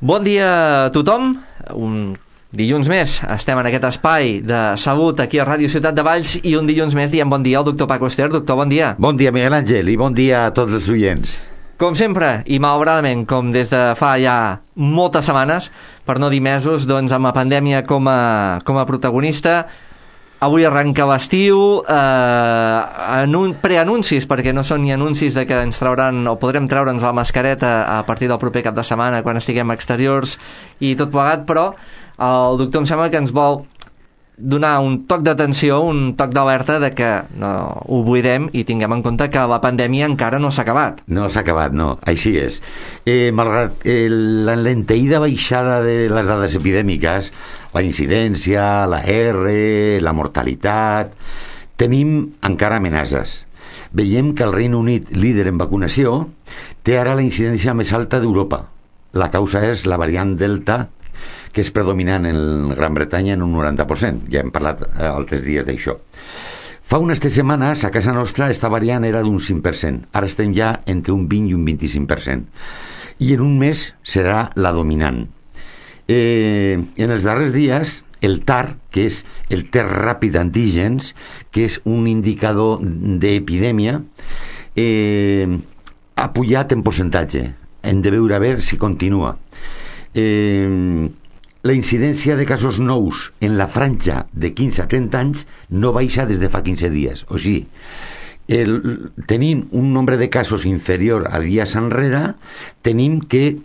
Bon dia a tothom. Un dilluns més estem en aquest espai de salut aquí a Ràdio Ciutat de Valls i un dilluns més diem bon dia al doctor Paco Ester. Doctor, bon dia. Bon dia, Miguel Àngel, i bon dia a tots els oients. Com sempre, i malauradament, com des de fa ja moltes setmanes, per no dir mesos, doncs amb la pandèmia com a protagonista. Avui arrenca l'estiu, preanuncis, perquè no són ni anuncis de que ens trauran o podrem treure'ns la mascareta a partir del proper cap de setmana quan estiguem exteriors i tot plegat, però el doctor em sembla que ens vol donar un toc d'atenció, un toc d'alerta de que no oblidem i tinguem en compte que la pandèmia encara no s'ha acabat. No s'ha acabat, no, així és. Malgrat la lenteïda baixada de les dades epidèmiques, la incidència, la R, la mortalitat, tenim encara amenaces. Veiem que el Regne Unit, líder en vacunació, té ara la incidència més alta d'Europa. La causa és la variant Delta, que és predominant en Gran Bretanya en un 90%. Ja hem parlat altres dies d'això. Fa unes 3 setmanes, a casa nostra, esta variant era d'un 5%. Ara estem ja entre un 20 i un 25%. I en un mes serà la dominant. En els darrers dies, el TAR, que és el test ràpid d'antígens, que és un indicador d'epidèmia, ha pujat en percentatge. Hem de veure a veure si continua. La incidència de casos nous en la franja de 15 a 30 anys no baixa des de fa 15 dies. O sigui, tenim un nombre de casos inferior a dies enrere, tenim que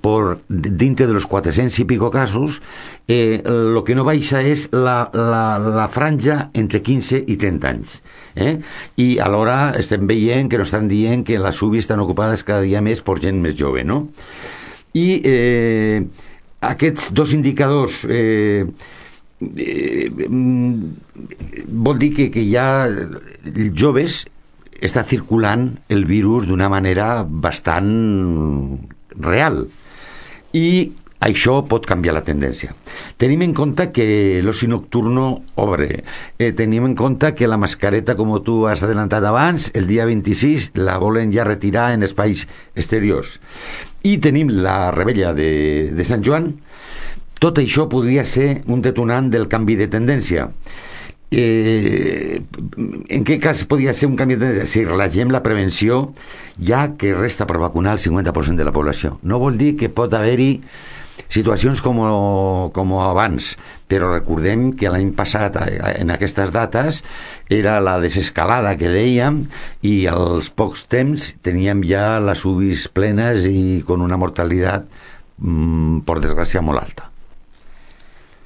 dintre de los 400 i pico casos, lo que no baixa és la franja entre 15 i 30 anys. I alhora estem veient que no estan dient que les UBI estan ocupades cada dia més per gent més jove, no? I aquests dos indicadors vol dir que hi ha joves està circulant el virus d'una manera bastant real i això pot canviar la tendència. Tenim en compte que l'oci nocturno obre, tenim en compte que la mascareta, com tu has adelantat abans, el dia 26 la volen ja retirar en espais exteriors i tenim la rebella de Sant Joan. Tot això podria ser un detonant del canvi de tendència. En què cas podria ser un canvi de tendència? Si relagem la prevenció, ja que resta per vacunar el 50% de la població. No vol dir que pot haver-hi situacions com abans, però recordem que l'any passat en aquestes dates era la desescalada que dèiem i als pocs temps teníem ja les UBIs plenes i con una mortalitat per desgràcia molt alta.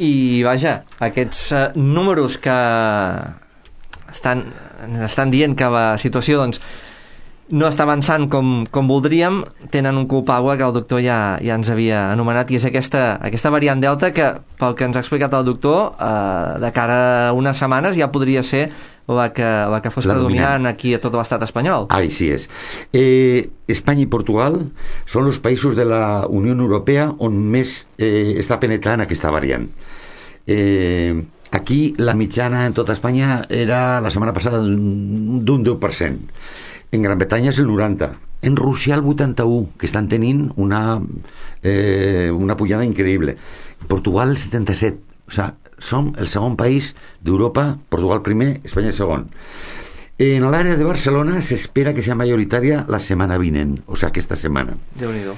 I vaja, aquests números que ens estan dient que la situació doncs no està avançant com voldríem, tenen un culpable que el doctor ja ens havia anomenat, i és aquesta variant Delta que, pel que ens ha explicat el doctor, de cara a unes setmanes ja podria ser la que fos predominant aquí a tot l'estat espanyol. Així és. Espanya i Portugal són els països de la Unió Europea on més està penetrant aquesta variant. Aquí la mitjana en tota Espanya era la setmana passada d'un 10%. En Gran Bretanya és el 90%. En Rússia el 81%, que estan tenint una pujada increïble. Portugal el 77%. O sigui, som el segon país d'Europa, Portugal primer, Espanya segon. En l'àrea de Barcelona s'espera que sigui majoritària la setmana vinent, o sigui, aquesta setmana. Déu-n'hi-do.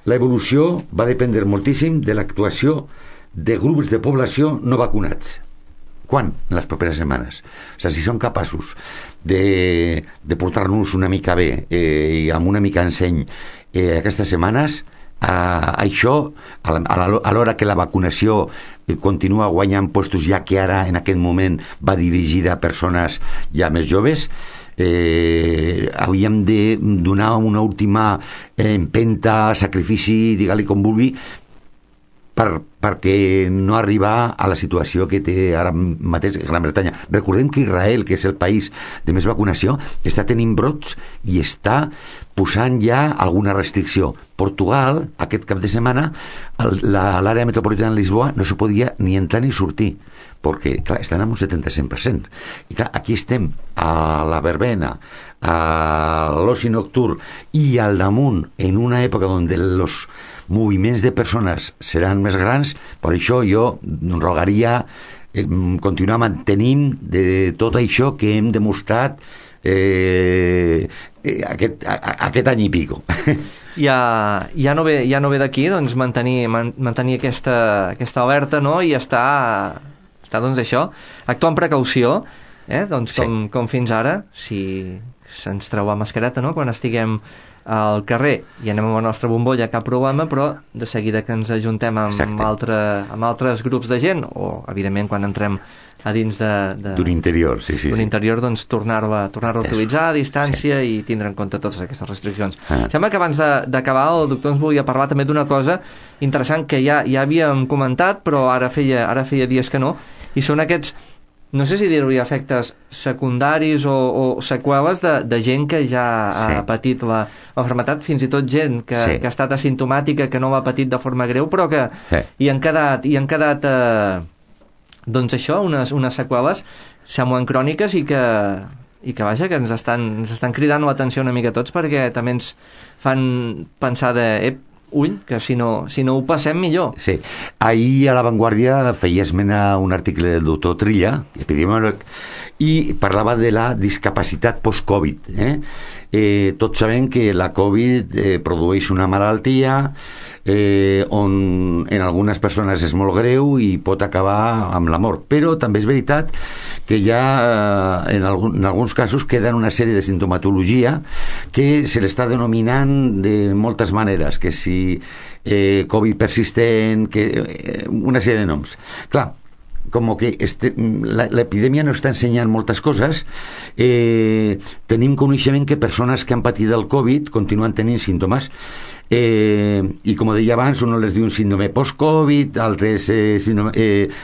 La evolució va dependre moltíssim de l'actuació de grups de població no vacunats. Quan? En les properes setmanes. O sigui, si són capaços de portar-nos una mica bé i amb una mica enseny aquestes setmanes, això, a l'hora que la vacunació continua guanyant puestos, ja que ara en aquest moment va dirigida a persones ja més joves, hauríem de donar una última empenta, sacrifici, digue-li com vulgui, perquè no arribar a la situació que té ara mateix Gran Bretanya. Recordem que Israel, que és el país de més vacunació, està tenint brots i està posant ja alguna restricció. Portugal, aquest cap de setmana, l'àrea metropolitana de Lisboa no se podia ni entrar ni sortir, perquè, clar, estan en un 75%. I clar, aquí estem a la verbena, a l'oci nocturn i al damunt, en una època on els moviments de persones seran més grans, per això jo rogaria continuar mantenint de tot això que hem demostrat aquest any i pico. Ja no ve d'aquí, doncs, mantenir aquesta alerta, no? I està doncs això, actuar amb precaució, doncs com fins ara, si se'ns treu la mascareta, no? Quan estiguem al carrer i anem amb la nostra bombolla, cap problema, però de seguida que ens ajuntem amb altres grups de gent, o evidentment quan entrem a dins d'un interior, d'un interior, doncs tornar-la a utilitzar a distància i tindre en compte totes aquestes restriccions. Sembla que abans d'acabar el doctor ens volia parlar també d'una cosa interessant que ja havíem comentat, però ara feia dies que no, i són aquests, no sé si dir-ho, efectes secundaris o seqüeles de gent que ja ha patit la malaltia, fins i tot gent que ha estat asimptomàtica, que no l'ha patit de forma greu, però que hi han quedat doncs això, unes seqüeles semblen cròniques i que vaja, que ens estan cridant l'atenció una mica tots, perquè també ens fan pensar que si no ho passem millor. Sí. Ahir a La Vanguardia feia esmena un article del doctor Trilla, epidemiòleg, i parlava de la discapacitat post-Covid. Tots sabem que la Covid produeix una malaltia on en algunes persones és molt greu i pot acabar amb la mort, però també és veritat que ja en alguns casos queden una sèrie de sintomatologia que se l'està denominant de moltes maneres, que si Covid persistent, una sèrie de noms. Clar, com que l'epidèmia no està ensenyant moltes coses, tenim coneixement que persones que han patit el Covid continuen tenint símptomes, i com deia abans, un les diu un síndrome post-Covid, altres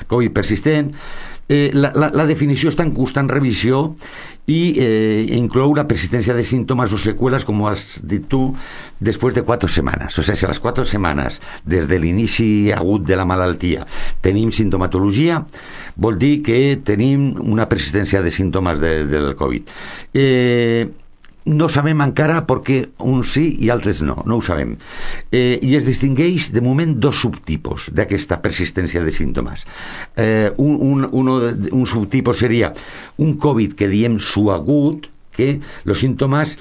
Covid persistent. La definició està en constant revisió i inclou la persistència de símptomes o seqüeles, com has dit tu, després de 4 setmanes. O sigui, si a les 4 setmanes des de l'inici agut de la malaltia tenim sintomatologia, vol dir que tenim una persistència de símptomes del Covid. No sabem encara perquè uns sí i altres no ho sabem. I es distingueix de moment 2 subtipos d'aquesta persistència de símptomes. Un subtipus seria un Covid que diem suagut, que els símptomes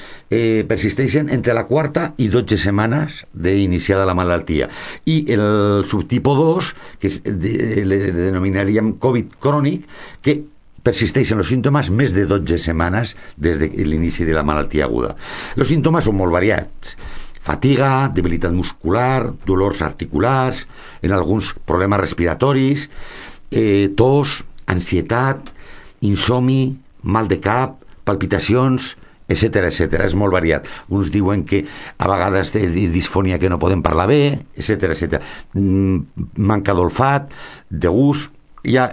persisteixen entre la 4ª i 12 setmanes d'iniciada la malaltia. I el subtipo 2, que le denominaríem Covid crònic, que persisteixen els símptomes més de 12 setmanes des de l'inici de la malaltia aguda. Els símptomes són molt variats. Fatiga, debilitat muscular, dolors articulars, en alguns problemes respiratoris, tos, ansietat, insomni, mal de cap, palpitacions, etc. És molt variat. Uns diuen que a vegades té disfonia que no poden parlar bé, etc. Manca d'olfat, de gust. Hi ha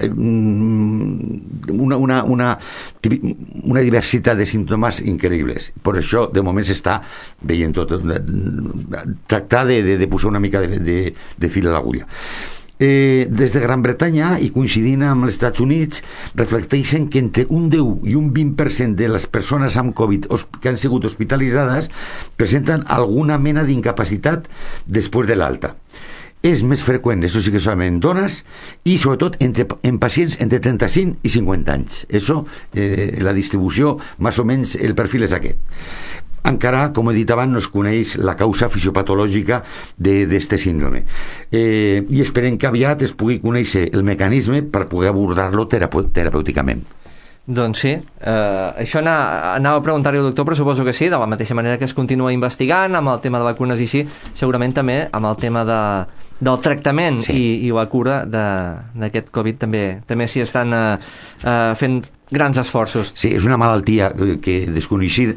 una diversitat de símptomes increïbles. Per això, de moment, s'està veient tot. Tractar de posar una mica de fil a l'agulla. Des de Gran Bretanya, i coincidint amb els Estats Units, reflecteixen que entre un 10 i un 20% de les persones amb Covid que han sigut hospitalitzades presenten alguna mena d'incapacitat després de l'alta. És més freqüent, això sí que solament dones, i sobretot en pacients entre 35 i 50 anys. La distribució, més o menys, el perfil és aquest. Encara, com he dit abans, no es coneix la causa fisiopatològica d'aquest síndrome. I esperem que aviat es pugui conèixer el mecanisme per poder abordar-lo terapèuticament. Doncs sí, això anava a preguntar-hi al doctor, però suposo que sí, de la mateixa manera que es continua investigant amb el tema de vacunes i així, segurament també amb el tema del tractament i la cura d'aquest Covid també s'hi estan fent grans esforços. Sí, és una malaltia que desconeixíem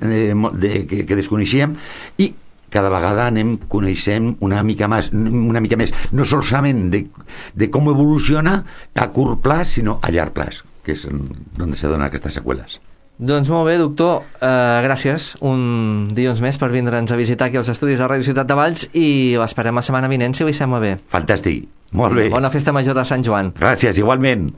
i cada vegada coneixem una mica més, no solament de com evoluciona a curt plaç, sinó a llarg plaç, que és on se donen aquestes seqüeles. Doncs molt bé, doctor, gràcies un dilluns més per vindre'ns a visitar aquí als estudis de Ràdio Ciutat de Valls i l'esperem la setmana vinent, si li sembla bé. Fantàstic, molt bé. Bona festa major de Sant Joan. Gràcies, igualment.